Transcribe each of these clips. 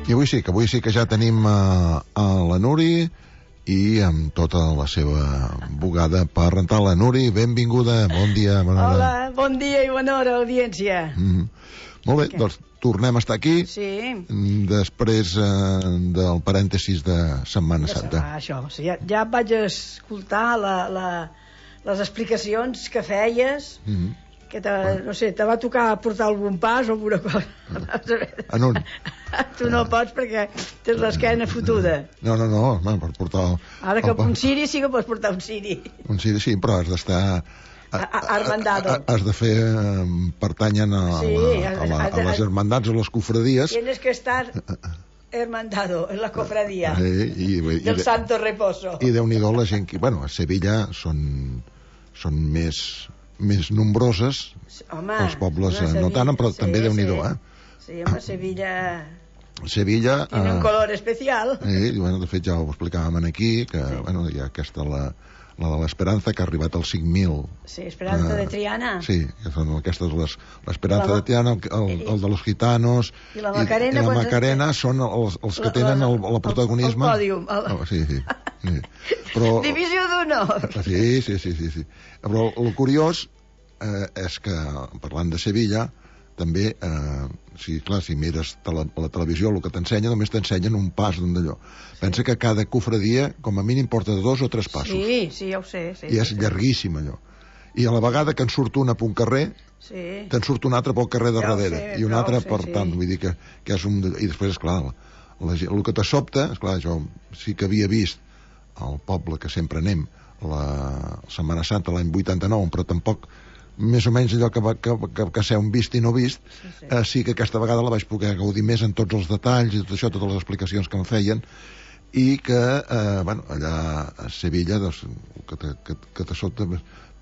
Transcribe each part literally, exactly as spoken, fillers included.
I avui sí, que avui sí que ja tenim uh, a la Nuri i amb tota la seva bugada per rentar. La Nuri, benvinguda, bon dia, bona hora. Hola, bon dia i bona hora, audiència. Mm-hmm. Molt bé, okay. Doncs tornem a estar aquí. Sí. Després uh, del parèntesis de Setmana ja Santa. Ah, això, sí, ja, ja vaig escoltar la, la, les explicacions que feies, mm-hmm. que te, no sé, te va tocar portar algun pas o alguna cosa. En un. Tu no pots perquè tens l'esquena fotuda. No, no, no, no, per portar... El, Ara que el, un ciri sí que pots portar un ciri. Un ciri sí, però has d'estar... Armandado. Has de fer... Pertanyen a, sí, la, a, la, a les hermandats o les cofradies. Tienes que estar hermandado en la cofradía eh, i, i, del i, Santo Reposo. I Déu-n'hi-do la gent que... Bueno, a Sevilla són, són més... més nombroses. Home, els pobles no, no tant, però sí, també Déu-n'hi-do, sí. eh? Sí, home, Sevilla... Sevilla... Tiene un color especial. Eh, i, bueno, de fet, ja ho explicàvem aquí, que, sí. Bueno, hi ha aquesta, la, la de l'Esperanza, que ha arribat als cinc mil. Sí, Esperanza eh, de Triana. Sí, que són aquestes, les, l'Esperanza la, de Triana, el, el, el de los gitanos... I la Macarena. I, i la Macarena es... són els, els que la, tenen el, el protagonisme. El, el pòdium. El... Oh, sí, sí. sí. Però, Divisió d'honor. Sí, sí, sí, sí, sí. Però el curiós eh, és que, parlant de Sevilla, també, eh, si, clar, si mires tele, la televisió, el que t'ensenya, només t'ensenyen un pas d'un d'allò. Sí. Pensa que cada cofradia, com a mínim, porta dos o tres passos. Sí, sí, ja ho sé. Sí, I és sí, llarguíssim, allò. I a la vegada que en surt una per un carrer, sí. Te'n surt un altre pel carrer de ja darrere. Sé, I un altre, per sé, tant, sí. Vull dir que, que és un... I després, esclar, la, la, el que te sobta, esclar, jo sí que havia vist al poble que sempre anem, la Setmana Santa, l'any vuitanta-nou, però tampoc... més o menys allò que, va, que, que, que ser un vist i no vist, sí, sí. Eh, sí que aquesta vegada la vaig poder gaudir més en tots els detalls i tot això, totes les explicacions que em feien, i que, eh, bueno, allà a Sevilla, doncs, que te, que, que te sobta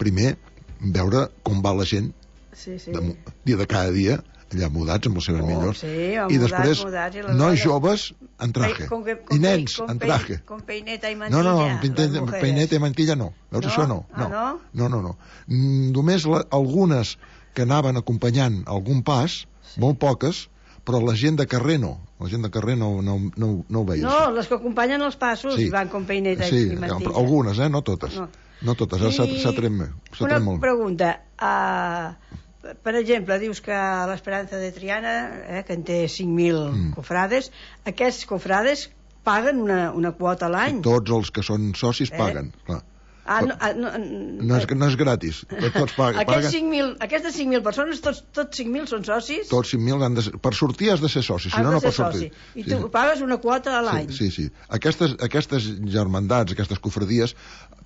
primer veure com va la gent sí, sí. De, dia de cada dia, allà mudats amb les seves oh, millors, sí, i després mudats, i nois joves en traje, con que, con i nens con en traje. Con peineta i mantilla. No, no, no, peineta i mantilla no. Veus, no? això no. Ah, no. no? No, no, no. Mm, només la, algunes que anaven acompanyant algun pas, sí. Molt poques, però la gent de carrer no. La gent de carrer no, no, no, no ho veia. No, això. Les que acompanyen els passos sí. Van con peineta sí, i mantilla. Sí, algunes, eh? No totes. No, no totes, I... s'ha tret molt. Una pregunta. Uh, per exemple, dius que l'Esperanza de Triana, eh, que en té cinc mil mm. cofrades, aquests cofrades paguen una, una quota a l'any? Tots els que són socis eh? Paguen, clar. Ah, no, no, no, és, no és gratis, tots paguen. Aquests cinc mil, aquestes cinc mil persones, tots, tots cinc mil són socis? Tots cinc mil han de ser, per sortir has de ser soci, si no, no pots sortir. I tu sí. Pagues una quota a l'any? Sí, sí, sí. Aquestes, aquestes germandats, aquestes cofradies,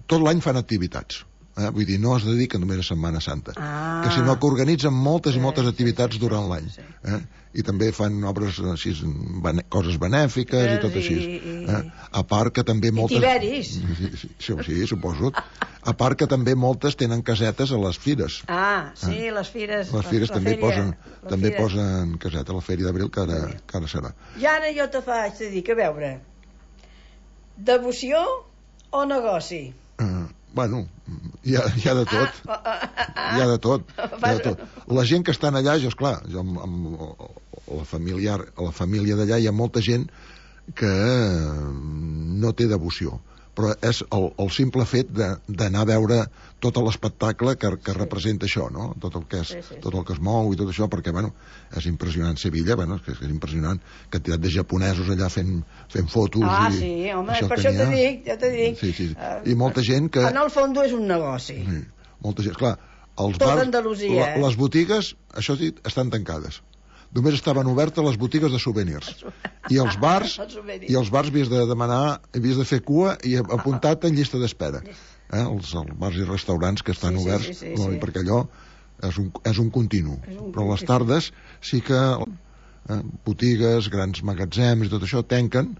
tot l'any fan activitats. Eh? Vull dir, no es dediquen només a Setmana Santa, ah. que sinó que organitzen moltes i moltes activitats durant l'any. Eh? I també fan obres així, bene, coses benèfiques i, i tot així. Eh? A part que també moltes... I tiberis. Sí, sí, sí, sí, suposo. A part que també moltes tenen casetes a les fires. Ah, sí, eh? les fires... Les fires la, també, la fèria, posen, també fira. Posen caseta, la Fèria d'Abril, que, ara, que ara serà. I ara jo te faig de dir, que a veure, devoció o negoci? Eh, bueno, hi ha, hi ha de tot. Ah, ah, ah, ah. Hi ha de tot. Hi ha de tot. La gent que estan allà, jo, esclar, jo amb, amb la familiar, a la família d'allà hi ha molta gent que no té devoció, però és el, el simple fet d'anar a veure tot l'espectacle que, que sí. Representa això, no? Tot el que és, sí, sí, tot el que es mou i tot això, perquè, bueno, és impressionant Sevilla, bueno, és, és impressionant quantitat de japonesos allà fent, fent fotos. Ah, i sí, home, això per això t'ho dic, ja t'ho dic. Sí, sí. I molta gent que... En el fons és un negoci. Sí, molta gent, clar, els tot bars, Andalusia, la, les botigues, això sí, estan tancades. Només estaven obertes les botigues de souvenirs. I els bars, i els bars havies de demanar, havies de fer cua i apuntar-te en llista d'espera. Eh? Els, els bars i restaurants que estan sí, oberts, sí, sí, sí, sí. Perquè allò és un, és un continu. És un Però les tardes sí que eh, botigues, grans magatzems i tot això tanquen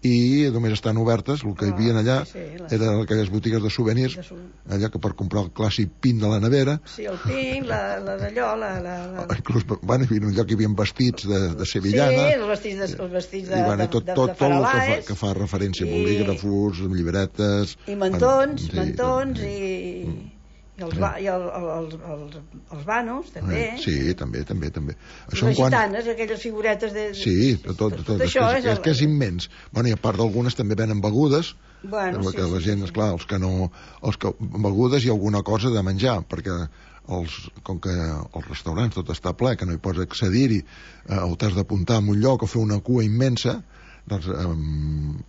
i només estan obertes, el que hi havia allà sí, sí, les... eren aquelles botigues de souvenirs, de su... allà que per comprar el clàssic pin de la nevera. Sí, el pin, la, la d'allò, la... la, la... Inclús, bueno, hi havia un lloc que hi havia vestits de, de sevillana. Sí, els vestits de, els vestits de, I, bueno, tot, de, de, tot, de faralaes. Tot el que fa, que fa referència a bolígrafos, llibretes... I mantons, bueno, sí. mantons i... I els, ba, i el, el, els, els, els banos, també. Eh, sí, també, també, també. Això les gitanes, quan... aquelles figuretes de... Sí, tot, tot, tot, tot això és, és, el... és que és immens. Bueno, i a part d'algunes també venen begudes, bueno, sí, que la gent, sí, sí. esclar, els que no... Els que, begudes i alguna cosa de menjar, perquè els, com que els restaurants tot està ple, que no hi pots accedir-hi, eh, o t'has d'apuntar en un lloc o fer una cua immensa, doncs eh,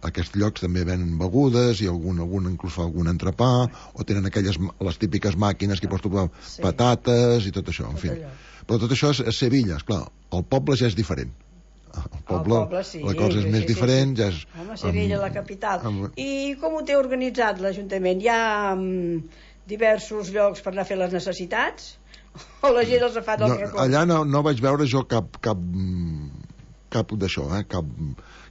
aquests llocs també venen begudes i algun, algun inclús fa algun entrepà, o tenen aquelles, les típiques màquines que hi pots trobar sí. patates i tot això, en tot fi. Allò. Però tot això és a Sevilla, esclar, el poble ja és diferent. El poble, el poble sí, la cosa és sí, més sí, diferent, sí. ja és... Home, Sevilla, amb, la capital. Amb... I com ho té organitzat l'Ajuntament? Hi ha um, diversos llocs per anar a fer les necessitats? O la gent els ha fet al no, racó? Allà no, no vaig veure jo cap... cap cap d'això, eh? cap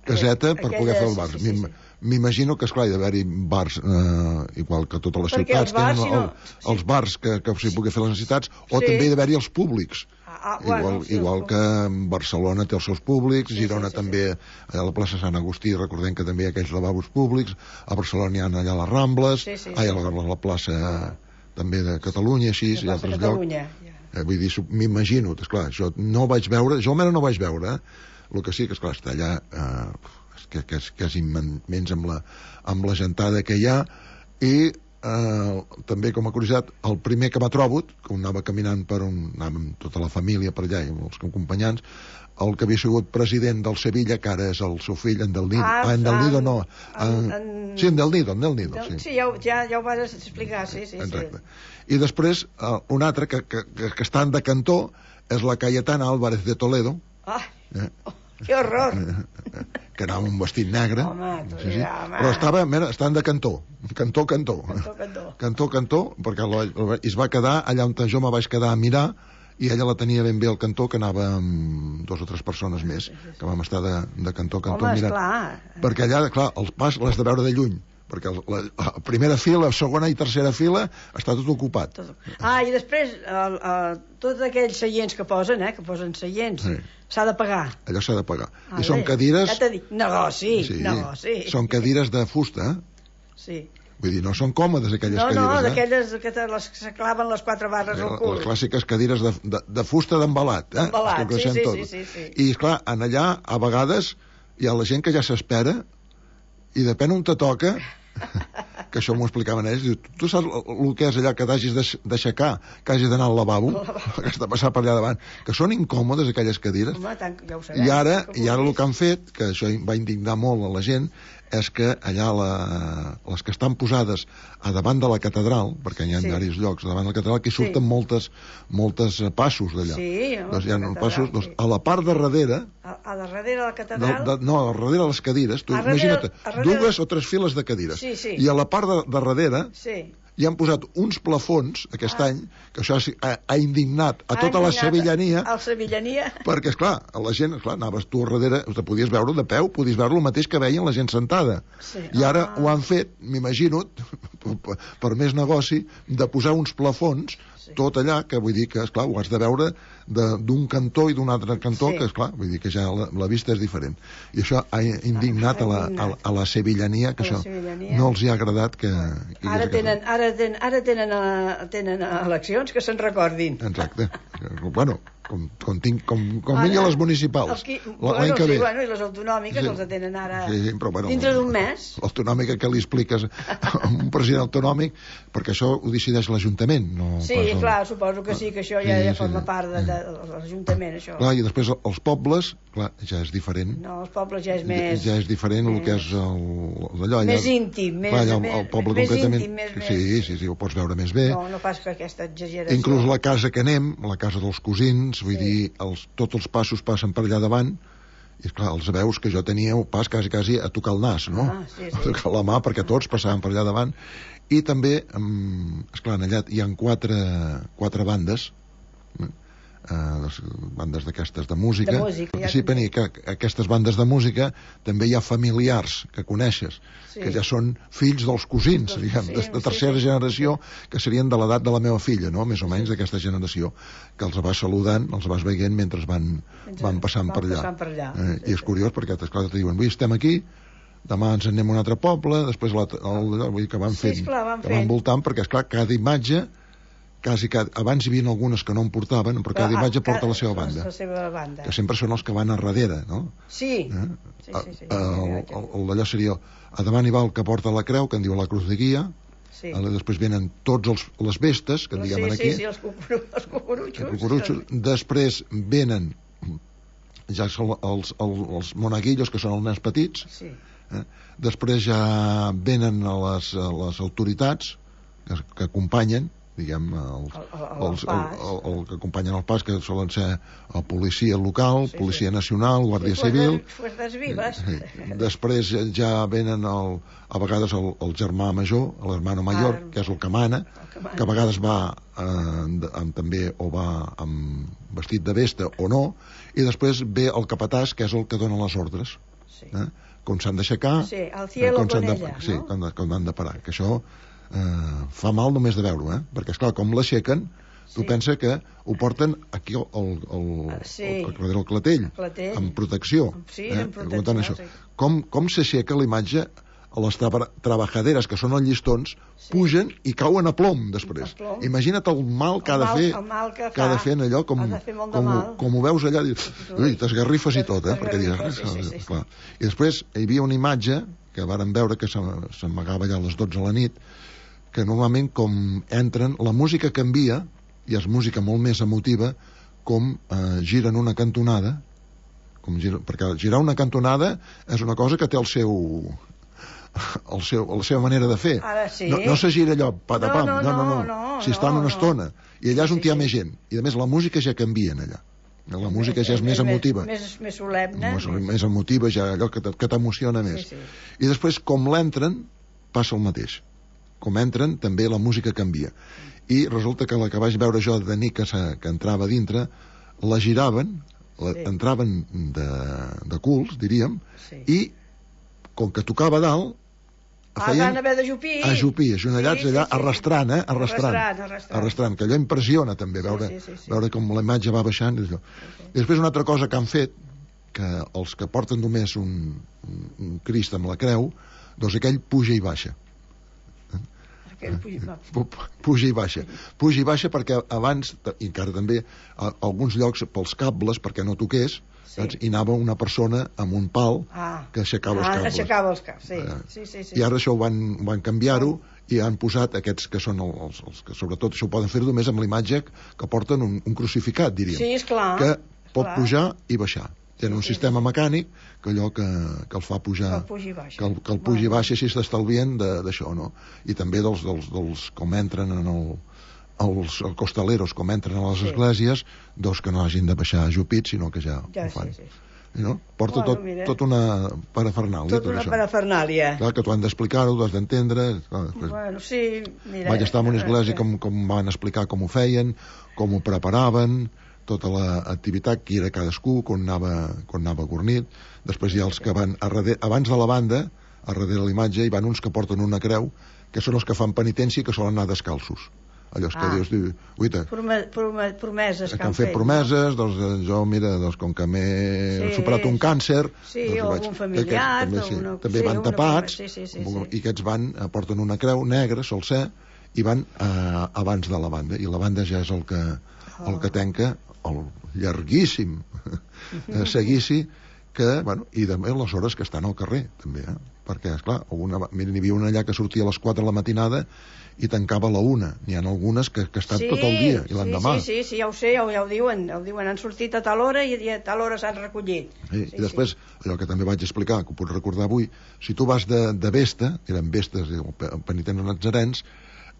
caseta per aquelles, poder fer el bar. sí, sí, sí. M'imagino que, esclar, hi ha d'haver-hi bars eh, igual que totes les perquè ciutats els bars, tenen si no... el, sí. els bars que, que s'hi pugui fer les necessitats, o sí. també hi ha d'haver-hi els públics. Ah, ah, bueno, igual sí, igual que Barcelona té els seus públics, sí, Girona sí, sí, també, sí. A la plaça Sant Agustí recordem que també hi ha aquells lavabos públics, a Barcelona hi ha allà les Rambles, sí, sí, sí. ai, a la, la plaça també de Catalunya, així, i altres llocs. Ja. Eh, vull dir, m'imagino, esclar, jo no vaig veure, jo almenys no vaig veure, eh? El que sí que, esclar, està allà, eh, que, que, és, que és immens amb la, amb la gentada que hi ha, i eh, també, com a curiositat, el primer que m'ha trobat, que anava caminant per on anàvem tota la família per allà, i els acompanyants, el que havia sigut president del Sevilla, que ara és el seu fill, en Del Nido. Ah, ah en Del Nido no. En, en... Sí, en Del Nido, en Del Nido. Del... Sí, sí ja, ja, ja ho vas explicar, sí, sí. Exacte. Sí. I després, uh, un altre que, que, que, que està de cantó és la Cayetana Álvarez de Toledo. Ah, eh? oh, que horror! Que anava amb un vestit negre. Home, sí, sí. Ja, home. Però estava, mira, estan de cantó. Cantó, cantó. Cantó, cantó. Cantó, cantó, perquè la, la, es va quedar allà on jo me vaig quedar a mirar, i ella la tenia ben bé al cantó, que anava amb dos o tres persones més, que vam estar de, de cantó a cantó Home, mirant. Esclar. Perquè allà, clar, el pas l'has de veure de lluny, perquè la, la primera fila, la segona i tercera fila està tot ocupat. Tot. Ah, i després el, el, tots aquells seients que posen, eh, que posen seients, s'ha sí. de pagar. Allò s'ha de pagar. Ah, I són cadires... Ja t'he dit, negoci, sí, negoci. Són cadires de fusta, eh? Sí. Vull dir, no són còmodes aquelles no, cadires, no, eh? No, d'aquelles que te les se claven les quatre barres al cul. Les clàssiques cadires de, de, de fusta d'embalat, eh? Embalat, sí, sí, sí, sí, sí. I, esclar, en allà, a vegades, hi ha la gent que ja s'espera, i depèn on te toca, que això m'ho explicaven ells, diu, tu saps el que és allà que t'hagis d'aixecar, que hagis d'anar al lavabo, que has de passar per allà davant, que són incòmodes aquelles cadires. Home, tant, ja ho sabem, I ara, i ara el que han fet, que això va indignar molt a la gent, és que allà la, les que estan posades a davant de la catedral, perquè hi ha sí. diversos llocs a davant de la catedral, que surten sí. moltes, moltes passos d'allà. Sí, doncs hi ha passos, doncs, a la part de darrere... A, a darrere de la catedral? De, de, no, a darrere de les cadires. Tu, imagina't, darrere... dues o tres files de cadires. Sí, sí. I a la part de, de darrere... Sí. hi han posat uns plafons aquest ah. any, que això ha, ha indignat a ha tota indignat la sevillania, a la sevillania, perquè, esclar, la gent, esclar, anaves tu a darrere, te podies veure de peu, podies veure el mateix que veien la gent sentada. Sí. I ara ah. ho han fet, m'imagino, per, per més negoci, de posar uns plafons sí. tot allà, que vull dir que, esclar, ho has de veure d'un cantó i d'un altre cantó, sí. que, esclar, vull dir que ja la, la vista és diferent. I això ha indignat a la, a, a la sevillania, que a això sevillania. no els hi ha agradat que... que ara tenen, ara tenen, ara tenen, uh, tenen eleccions que se'n recordin. Exacte. Bueno, com, com, tinc, com, com vingui a les municipals qui, l'any bueno, que ve. Sí, bueno, i les autonòmiques sí. els tenen ara sí, sí, però, bueno, dintre d'un mes. L'autonòmica que li expliques a un president autonòmic, perquè això ho decideix l'Ajuntament, no sí, pas el... clar, suposo que sí, que això ja, sí, ja forma sí, part de, de, de l'Ajuntament, això. Clar, i després els pobles, clar, ja és diferent. No, els pobles ja és més... Ja és diferent més... el que és el, d'allò. Més allà, íntim, més, clar, allà, el, el poble més concretament, íntim, més... Sí, sí, sí, ho pots veure més bé. No, no pas que aquesta exageració. Inclús la casa que anem, la casa dels cosins, vull sí. dir, els, tots els passos passen per allà davant, i esclar, els veus que jo tenia un pas quasi, quasi a tocar el nas, no? Ah, sí, sí. A tocar la mà, perquè tots passaven per allà davant. I també, esclar, allà hi ha quatre, quatre bandes, eh, bandes d'aquestes de música, de música participen ja... i que aquestes bandes de música també hi ha familiars que coneixes, sí. que ja són fills dels cosins, doncs, diguem, sí, de, de tercera sí, sí. generació, que serien de l'edat de la meva filla, no? Més o menys sí. d'aquesta generació, que els vas saludant, els vas veient mentre van, mentre van passant van per allà, passant per allà. Eh, sí, i és curiós perquè esclar, te diuen, avui estem aquí, demà ens anem a un altre poble, després la, el, vull dir que van sí, fent, esclar, van que van voltant, perquè esclar, cada imatge quasi cada... abans hi havia algunes que no en portaven, però cada imatge porta la seva banda. La seva banda. Que sempre són els que van a darrere, no? Sí. Eh? Sí, sí, sí. El, el, el d'allò seria a davant hi va el que porta la creu, que en diu la cruz de guia. Sí. Després venen tots els, les vestes, que en diguem sí, aquí. Sí, sí, els, cucuru, els cucurutxos. Els cucurutxos. Després venen ja són els, els, els monaguillos, que són els nens petits. Sí. Eh? Després ja venen a les, a les autoritats que, que acompanyen, diguem, els, el, el, el, els, el, el, el que acompanyen el pas, que solen ser el policia local, sí, policia sí. nacional, guàrdia sí, civil. Fuerzas vivas. Sí. Després ja venen el, a vegades el, el germà major, l'hermano major, ah, que és el que mana, el que, mana. que a vegades va eh, amb, també o va amb vestit de vesta o no, i després ve el capatàs, que és el que dona les ordres. Sí. Eh? Com s'han d'aixecar, sí, al cielo com, con ella, de, sí, no? com, com han de parar, que això Uh, fa mal només de veure-ho, eh? Perquè esclar, com l'aixequen, tu sí. pensa que ho porten aquí al, al, al, sí. al, al, al clatell, clatell, amb protecció, sí, eh? amb protecció això. Sí. Com, com s'aixeca la imatge a les tra trebajaderes, que són els llistons, sí. pugen i cauen a plom després. A plom. Imagina't el mal que ha de fer, el mal que, que ha de fer en allò, com, com, com ho veus allà, dius, ui, t'esgarrifes i tot, eh? Perquè dius, sí, sí, sí, sí. I després hi havia una imatge que vàrem veure que s'amagava allà a les dotze de la nit, que normalment com entren, la música canvia, i és música molt més emotiva, com eh, giren una cantonada, com gira, perquè girar una cantonada és una cosa que té el seu... El seu, la seva manera de fer. Ara sí. No, no se gira allò, patapam, no, no, no, no, no, no, si estan no, una estona, i allà és on sí, hi ha sí. més gent, i a més la música ja canvia allà. La música ja és més emotiva. Més, més solemne. Més, més emotiva, ja allò que t'emociona més. Sí, sí. I després, com l'entren, passa el mateix. Com entren, també la música canvia. I resulta que la que vaig veure jo de nit que, que entrava dintre, la giraven, la, sí. entraven de, de culs, diríem, sí. i com que tocava dalt, feien ah, van haver d'ajupir. Ajupir, ajonellats sí, allà, sí, sí. arrastrant, eh? Arrastrant, arrastrant, arrastrant. arrastrant, que allò impressiona també, veure, sí, sí, sí, sí. veure com la imatge va baixant. I, sí, sí. I després una altra cosa que han fet, que els que porten només un, un, un Crist amb la creu, doncs aquell puja i baixa. Puja i baixa. Puja i baixa perquè abans, i encara també, a alguns llocs pels cables, perquè no toqués, sí. saps? I anava una persona amb un pal ah. que aixecava ah, els cables. Aixecava els cables, sí. Eh? Sí, sí, sí. I ara això ho van, van canviar-ho i han posat aquests que són els, els que sobretot això ho poden fer només amb la imatge que porten un, un crucificat, diríem. Sí, esclar. Que pot esclar. pujar i baixar. Tenen un sí, sistema sí. mecànic que allò que, que el fa pujar, que el pugi baixa, que el, que el pugi baixa així s'estalvien d'això, no? I també dels, dels, dels com entren en el, els, els costaleros, com entren a les sí. esglésies, doncs que no hagin de baixar ajupits, sinó que ja, ja ho fan. Sí, sí. No? Porta bueno, tot, tot una parafernàlia. Tot, tot una això. parafernàlia. Clar, que tu han d'explicar-ho, tu has d'entendre. Bueno, sí, mira. Vaig estar en una església com, com van explicar com ho feien, com ho preparaven, tota l'activitat que era cadascú, quan anava, quan anava gornit. Després hi ha els que van a darrere, abans de la banda, a darrere de l'imatge, hi van uns que porten una creu, que són els que fan penitència i que solen anar descalços. Allò que ah. dius, diu, uita, Prome, prome, promeses que, que han fet, fet promeses, no? doncs jo, mira, doncs, com que m'he sí, superat un càncer, sí, doncs, o vaig, algun familiar, també, sí, una, també sí, van tapats, sí, sí, sí, sí. sí. i aquests van, porten una creu negra, sol ser, i van eh, abans de la banda, i la banda ja és el que, oh. el que tanca el llarguíssim seguici que, bueno, i també les hores que estan al carrer, també, eh? Perquè, esclar, una, mira, n'hi havia una allà que sortia a les quatre de la matinada i tancava a la una. N'hi ha algunes que, que estan sí, tot el dia, i l'endemà. Sí, sí, sí, ja ho sé, ja ho, ja ho diuen, ja ho diuen, han sortit a tal hora i a tal hora s'han recollit. Sí, sí, I després, sí. allò que també vaig explicar, que ho puc recordar avui, si tu vas de, de Vesta, eren Vestes, penitents nazarens,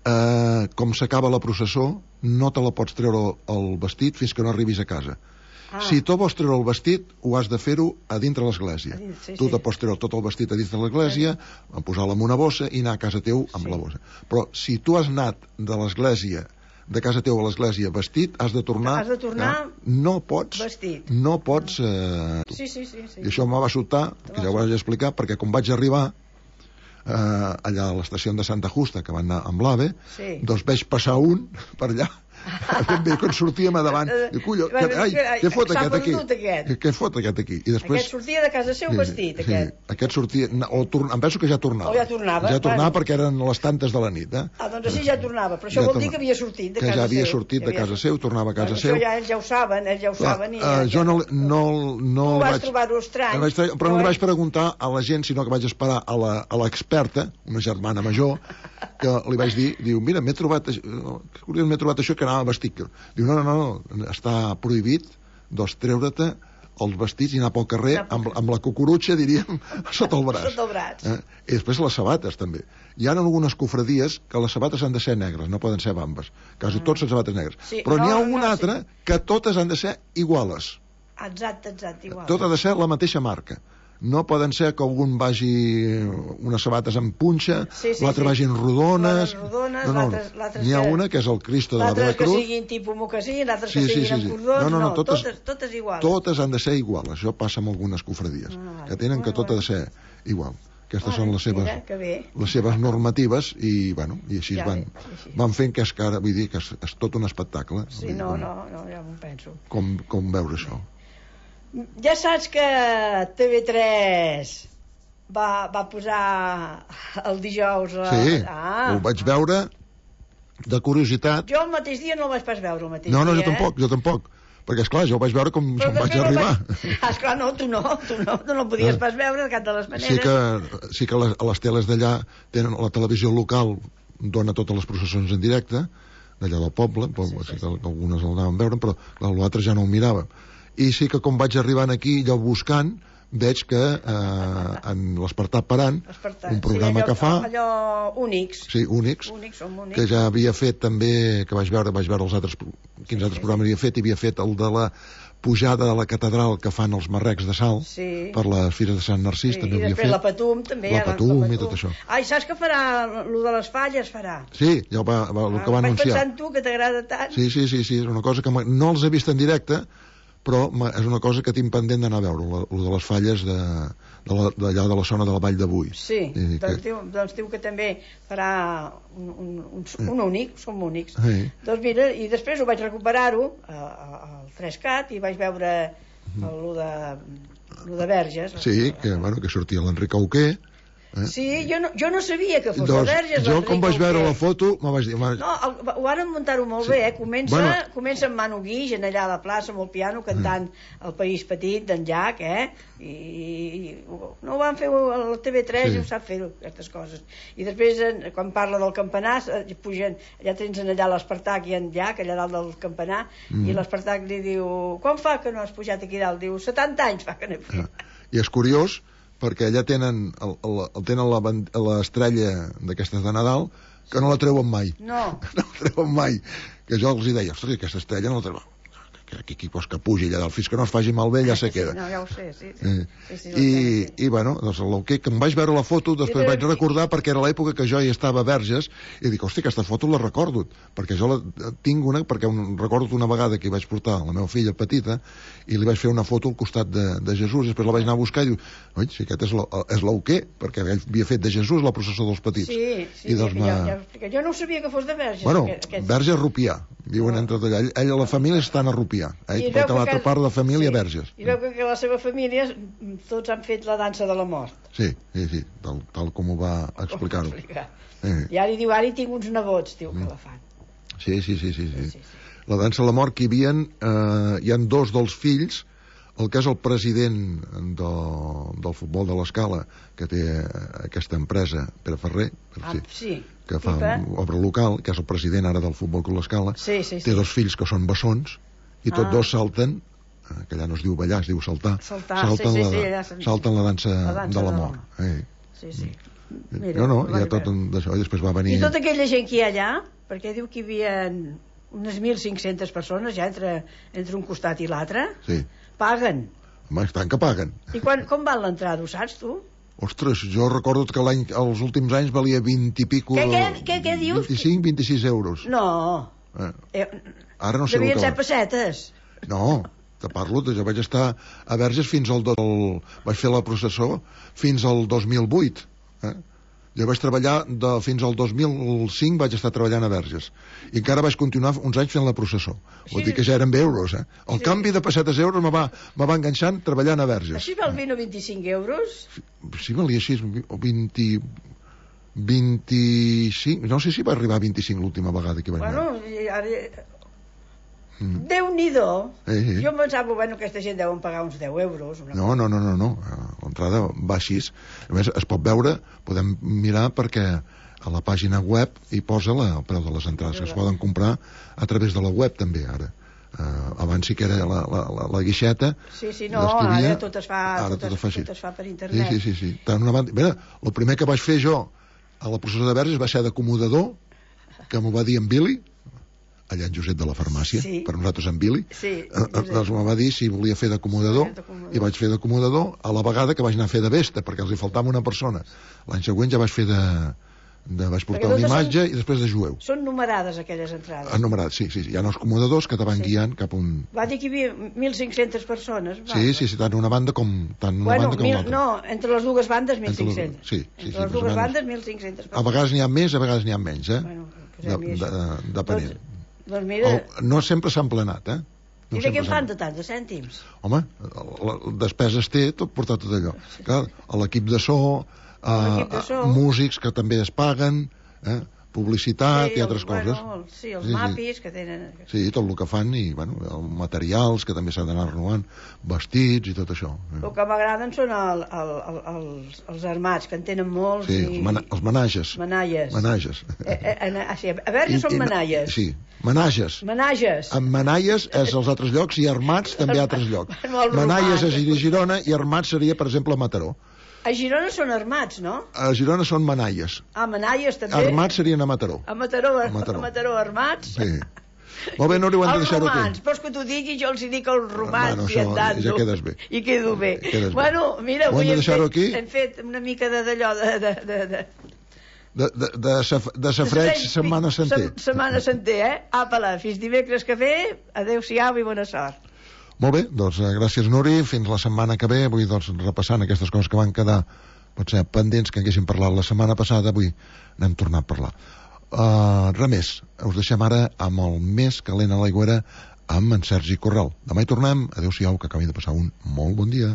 eh, com s'acaba la processó, no te la pots treure el vestit fins que no arribis a casa. Ah. Si tu vols treure el vestit, ho has de fer-ho a dintre l'església. Sí, tu sí. te pots treure tot el vestit a dintre l'església, sí. posar-lo en una bossa i anar a casa teu amb sí. la bossa. Però si tu has anat de l'església, de casa teu a l'església vestit, has de tornar... Has de tornar eh? No pots... Vestit. No pots... Eh... Sí, sí, sí, sí. I això em va sobtar, que ja ho vaig explicar, perquè quan vaig arribar eh, allà a l'estació de Santa Justa, que van anar amb l'AVE, sí. doncs vaig passar un per allà, ben bé, quan sortíem a davant, diu, cullo, que, ai, què fot aquest aquí? Aquest. Què fot aquest aquí? I després, aquest sortia de casa seu vestit, sí, aquest. Sí, aquest sortia, o torn, em penso que ja tornava. O ja tornava. Ja tornava bueno. perquè eren les tantes de la nit, eh? Ah, doncs així ja tornava, però això ja vol dir que havia sortit de casa seu. Que ja havia sortit de casa seu, tornava a casa bueno, seu. Això ja ells ja ho saben, ells ja ho saben. I uh, ja, jo no, no, no tu vas vaig... trobar-ho estrany. Vaig, però no li vaig preguntar a la gent, sinó que vaig esperar a l'experta, una germana major, que li vaig dir, diu, mira, m'he trobat, m'he trobat això que anava vestit. Diu, no, no, no, està prohibit, doncs treure-te els vestits i anar pel carrer amb, amb la cucurutxa, diríem, sota el braç. Sota el braç. Eh? I després les sabates, també. Hi ha algunes cofradies que les sabates han de ser negres, no poden ser bambes. Quasi tots són sabates negres. Sí, però n'hi ha no, una no, altra sí. que totes han de ser iguales. Exacte, exacte, igual. Tot ha de ser la mateixa marca. No poden ser que algun vagi unes sabates amb punxa, sí, sí, l'altre sí. vagin rodones... rodones no, no, N'hi ha una que és el Cristo de la Vella Cruz. L'altre que siguin tipus mocassí, l'altre sí, que sí, siguin sí, sí. amb cordons, no, no, no, totes, totes, totes iguals. Totes han de ser iguals, això passa amb algunes cofradies, ah, que tenen que tot ha de ser igual. Aquestes ah, són les seves, mira, les seves normatives i, bueno, i així ja van, bé, així. van fent que és que ara, vull dir, que és, és tot un espectacle. Sí, no, no, no, ja m'ho penso. Com, com veure això? Ja saps que T V tres va, va posar el dijous... La... Sí, ah, ho vaig veure de curiositat. Jo el mateix dia no el vaig pas veure el mateix no, no, dia. No, jo tampoc, jo tampoc. Perquè, esclar, jo ho vaig veure com, com vaig arribar. Vaig... Ah, esclar, no, tu no, tu no, tu no el podies pas veure de cap de les maneres. Sí que, sí que les, a les teles d'allà tenen la televisió local, dona totes les processons en directe, d'allà del poble, sí, sí, sí. Que algunes el anaven veure, però l'altre ja no ho mirava. I sí que com vaig arribant aquí, allò buscant, veig que eh, en l'Espartà Parant, un programa sí, allò, que fa... allò únics. Sí, únics, únics, únics. Que ja havia fet també, que vaig veure, vaig veure els altres, quins sí, altres sí, programes sí. havia fet, i havia fet el de la pujada de la catedral que fan els marrecs de sal, sí. per les Fires de Sant Narcís, sí, també havia fet. I després fet. la Patum, també. La Patum, la Patum i tot això. Ai, saps que farà, lo de les falles farà? Sí, ja ho va, va, el que va ah, anunciar. Vaig pensar en tu, que t'agrada tant. Sí, sí, sí, sí, és una cosa que no els he vist en directe, però és una cosa que tinc pendent d'anar a veure, el de les falles d'allà de, de, de la zona de la Vall de Bui. Sí, I doncs, que... diu, doncs diu que també farà un, un, un, un únic, som únics. Sí. Doncs mira, i després ho vaig recuperar-ho al tres cat i vaig veure el de, el de Verges. Sí, que, bueno, que sortia l'Enric Auqué. Eh? Sí, jo no, jo no sabia que fos doncs, de Verges. Jo, com vaig veure la foto, me vaig dir... No, el, ho van muntar-ho molt sí. bé, eh? Comença, bueno, comença amb Manu Guix, allà a la plaça, amb el piano, cantant mm. El País Petit, d'en Jack, eh? I, i no ho van fer al T V tres sí. I ho sap fer, aquestes coses. I després, quan parla del campanar, pugen, allà tens allà l'Espartac i en Jack, allà dalt del campanar, mm. i l'Espartac li diu, quan fa que no has pujat aquí dalt? Diu, setanta anys fa que no he fet. Ah. I és curiós, perquè allà tenen el, el, el tenen l'estrella d'aquestes de Nadal que no la treuen mai. No. No la treuen mai. Que jo els hi deia, ostres, aquesta estrella no la treuen. Que aquí qui vols que pugi allà dalt, fins que no es faci malbé ja se queda. Sí, no, ja ho sé, sí. sí. Eh. sí, sí I, I, bueno, doncs el que, que em vaig veure la foto, després sí, vaig recordar, perquè era l'època que jo hi estava a Verges, i dic, hosti, aquesta foto la recordo, perquè jo la tinc una, perquè un, recordo una vegada que hi vaig portar la meva filla petita, i li vaig fer una foto al costat de, de Jesús, i després la vaig anar a buscar i diu, oi, si aquest és l'Auqué, perquè ell havia fet de Jesús la processó dels petits. Sí, sí, I doncs ja, ja, ja, jo no sabia que fos de Verges. Bueno, aquest... Verges Rupià, viuen oh. entre allà. Ell, ell, la família estan a Rupià, eh? perquè l'altra part de la família sí. Verges. I veu que la seva família tots han fet la dansa de la mort. Sí, sí, sí, tal, tal com ho va explicar-ho. Eh. I ara diu, ara hi tinc uns nebots, diu, mm. que la fan. Sí, sí, sí, sí, sí. sí, sí. La dansa de la mort que hi havia, eh, hi han dos dels fills, el que és el president de, del futbol de l'Escala, que té aquesta empresa, Pere Ferrer, per ah, sí, sí. que fa obra local, que és el president ara del futbol de l'Escala, sí, sí, sí. té dos fills que són bessons, i tots ah. dos salten, que allà no es diu ballar, es diu saltar, saltar salten, sí, la, sí, sí, salten la dansa, la dansa de la mort. Eh. Sí, sí. Mira, no, no, hi ha tot d'això, i després va venir... I tota aquella gent que hi ha allà, perquè diu que hi havia unes mil cinc-centes persones ja entre, entre un costat i l'altre, sí. paguen. Home, tant que paguen. I quan, com val l'entrada, ho saps tu? Ostres, jo recordo que l'any, els últims anys valia vint i pico... Què, què, què, què dius? vint-i-cinc, vint-i-sis euros. No. Eh. Eh, Ara no sé devien el que ser pessetes. No, te parlo, jo vaig estar a Verges fins al... El, vaig fer la processó fins al dos mil vuit. Eh? Jo vaig treballar de, fins al dos mil cinc vaig estar treballant a Verges i encara vaig continuar uns anys fent la processó. Vull dir que ja eren euros, eh? El sí. canvi de pessetes euros me va, me va enganxant treballant a Verges. Així val vint o vint-i-cinc euros? Sí, valia així, vint... vint-i-cinc, no sé si va arribar a vint-i-cinc l'última vegada que vaig anar. Bueno, ara... Mm. Déu-n'hi-do. Eh, eh. Jo em pensava, bueno, aquesta gent deuen pagar uns deu euros. Una no, no, no, no, no. L'entrada va així. A més, es pot veure, podem mirar perquè a la pàgina web hi posa la, el preu de les entrades, que es poden comprar a través de la web també, ara. Uh, abans sí que era la, la, la, la guixeta. Sí, sí, no, ara tot es fa, ara tot, tot, es, fa tot es fa per internet. Sí, sí, sí. sí. Tant una banda... Mira, el primer que vaig fer jo a la processó de Verges va ser d'acomodador, que m'ho va dir en Billy, allà en Josep de la farmàcia, sí. per nosaltres en Billy, sí, eh, doncs me va dir si volia fer d'acomodador, i vaig fer d'acomodador a la vegada que vaig anar a fer de vesta, perquè els hi faltava una persona. L'any següent ja vaig fer de... de vaig portar una imatge són, i després de jueu. Són numerades aquelles entrades. Ah, numerades, sí, sí, sí. Hi ha els acomodadors que te van sí. guiant cap un... Va dir que hi havia mil cinc-centes persones. Va, sí, sí, sí, tant una banda com, tant una bueno, banda com mil, l'altra. No, entre les dues bandes mil cinc-centes. Sí, sí, entre sí, les dues bandes mil cinc-centes persones. A vegades n'hi ha més, a vegades n'hi ha menys, eh? Bueno, de, de, de, depenent. Doncs, doncs mira... El, no sempre s'ha emplenat, eh? No I de què en fan de tant, de cèntims? Home, la, la despeses té tot portar tot allò. Clar, l'equip de so, uh, de so, músics que també es paguen, eh? publicitat sí, i altres el, coses. Bueno, sí, els sí, mapis sí. que tenen... Sí, tot el que fan, i bueno, els materials que també s'ha d'anar renovant, vestits i tot això. El que m'agraden són el, el, el, els, els armats, que en tenen molts. Sí, i... els, mana els menages. Manalles. Menages. Eh, eh, eh, sí, a veure, són manalles. Sí, menages. Menages. En manalles és als altres llocs i armats també a altres llocs. Manalles és a Girona i armats seria, per exemple, a Mataró. A Girona són armats, no? A Girona són manalles. Ah, manalles també? Armats serien a Mataró. A Mataró, a Mataró, a Mataró armats? Sí. Molt bé, Nuri, ho hem de deixar-ho aquí. Els romans, vols que t'ho digui? Jo els hi dic els romans, bueno, i andant. Ja quedes bé. I quedo bé. Quedes bueno, mira, avui hem fet, aquí? hem fet una mica d'allò de... de, de, de... De, de, de, saf, de safreig, setmana santer. Setmana santer, eh? Apa-la, fins dimecres que ve, adeu-siau i bona sort. Molt bé, doncs gràcies, Nuri, fins la setmana que ve. Avui, doncs, repassant aquestes coses que van quedar potser pendents que haguéssim parlat la setmana passada, avui n'hem tornat a parlar. Uh, res més, us deixem ara amb el més calent a l'aigüera amb en Sergi Corral. Demà hi tornem, adeu-siau, que acabin de passar un molt bon dia.